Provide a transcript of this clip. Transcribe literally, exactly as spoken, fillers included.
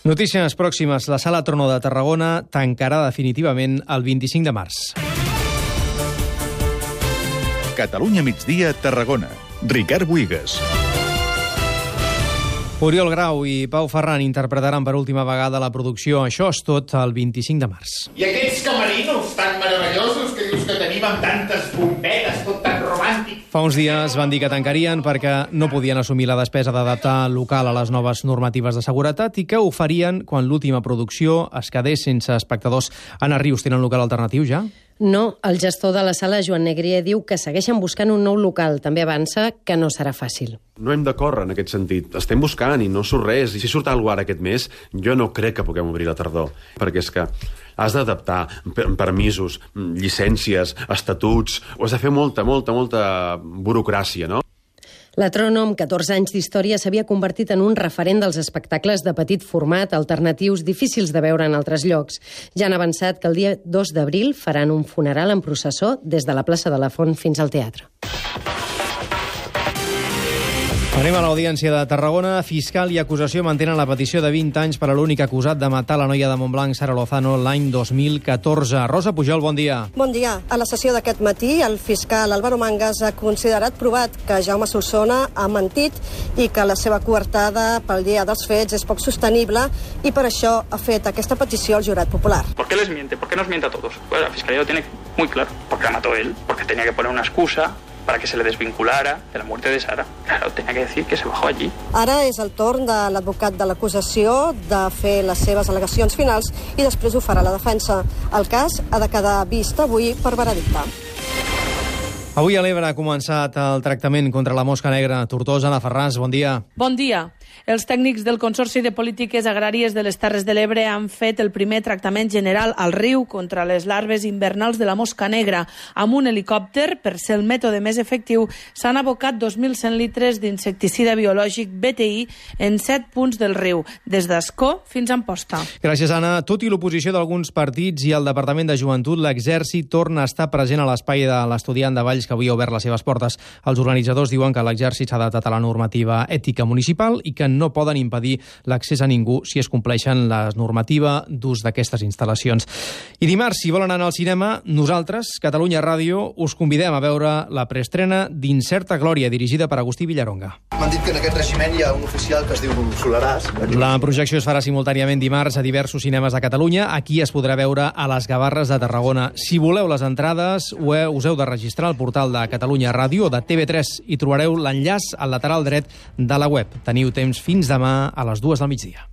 Notícies pròximes. La Sala Trono de Tarragona tancarà definitivament el vint-i-cinc de març. Catalunya migdia, Tarragona. Ricard Buigas. Oriol Grau i Pau Ferran interpretaran per última vegada la producció Això és tot el vint-i-cinc de març. I aquests camerinos tan meravellosos que dius que tenim amb tantes bombetes, tot tan romàntic. Fa uns dies van dir que tancarien perquè no podien assumir la despesa d'adaptar el local a les noves normatives de seguretat i que ho farien quan l'última producció es quedés sense espectadors. Anna Rius, tenen local alternatiu ja? No, el gestor de la sala, Joan Negrier, diu que segueixen buscant un nou local. També avança que no serà fàcil. No hem de córrer en aquest sentit. Estem buscant i no surt res. I si surt alguna cosa ara aquest mes, jo no crec que puguem obrir la tardor. Perquè és que has d'adaptar permisos, llicències, estatuts... Ho has de fer molta, molta, molta burocràcia, no? La Trono, amb catorze anys d'història, s'havia convertit en un referent dels espectacles de petit format, alternatius, difícils de veure en altres llocs. Ja han avançat que el dia dos d'abril faran un funeral en processó des de la plaça de la Font fins al teatre. Anem a l'Audiència de Tarragona. Fiscal i acusació mantenen la petició de vint anys per a l'únic acusat de matar la noia de Montblanc, Sara Lozano, l'any dos mil catorze. Rosa Pujol, bon dia. Bon dia. A la sessió d'aquest matí, el fiscal Álvaro Mangas ha considerat provat que Jaume Solsona ha mentit i que la seva coartada pel dia dels fets és poc sostenible i per això ha fet aquesta petició al jurat popular. ¿Por qué les miente? ¿Por qué nos miente a todos? Pues la Fiscalía lo tiene muy claro. Porque la mató él, porque tenía que poner una excusa para que se le desvinculara de la muerte de Sara. Claro, tenía que decir que se bajó allí. Ara és el torn de l'advocat de l'acusació de fer les seves al·legacions finals i després ho farà la defensa. El cas ha de quedar vist avui per veredicte. Avui a l'Ebre ha començat el tractament contra la mosca negra. Tortosa, Anna Ferràs, bon dia. Bon dia. Els tècnics del Consorci de Polítiques Agràries de les Terres de l'Ebre han fet el primer tractament general al riu contra les larves invernals de la mosca negra. Amb un helicòpter, per ser el mètode més efectiu, s'han abocat dos mil cent litres d'insecticida biològic B T I en set punts del riu, des d'Ascó fins a Amposta. Gràcies, Anna. Tot i l'oposició d'alguns partits i el Departament de Joventut, l'Exèrcit torna a estar present a l'espai de l'Estudiant de Valls, que avui ha obert les seves portes. Els organitzadors diuen que l'Exèrcit s'ha adaptat a la normativa ètica municipal i que no poden impedir l'accés a ningú si es compleixen la normativa d'ús d'aquestes instal·lacions. I dimarts, si volen anar al cinema, nosaltres, Catalunya Ràdio, us convidem a veure la preestrena d'Incerta Glòria, dirigida per Agustí Villaronga. M'han dit que en aquest regiment hi ha un oficial que es diu Solaràs. La projecció es farà simultàniament dimarts a diversos cinemes de Catalunya. Aquí es podrà veure a les Gavarres de Tarragona. Si voleu les entrades, us heu de registrar al portal de Catalunya Ràdio o de T V tres i trobareu l'enllaç al lateral dret de la web. Teniu temps fins demà a les dues del migdia.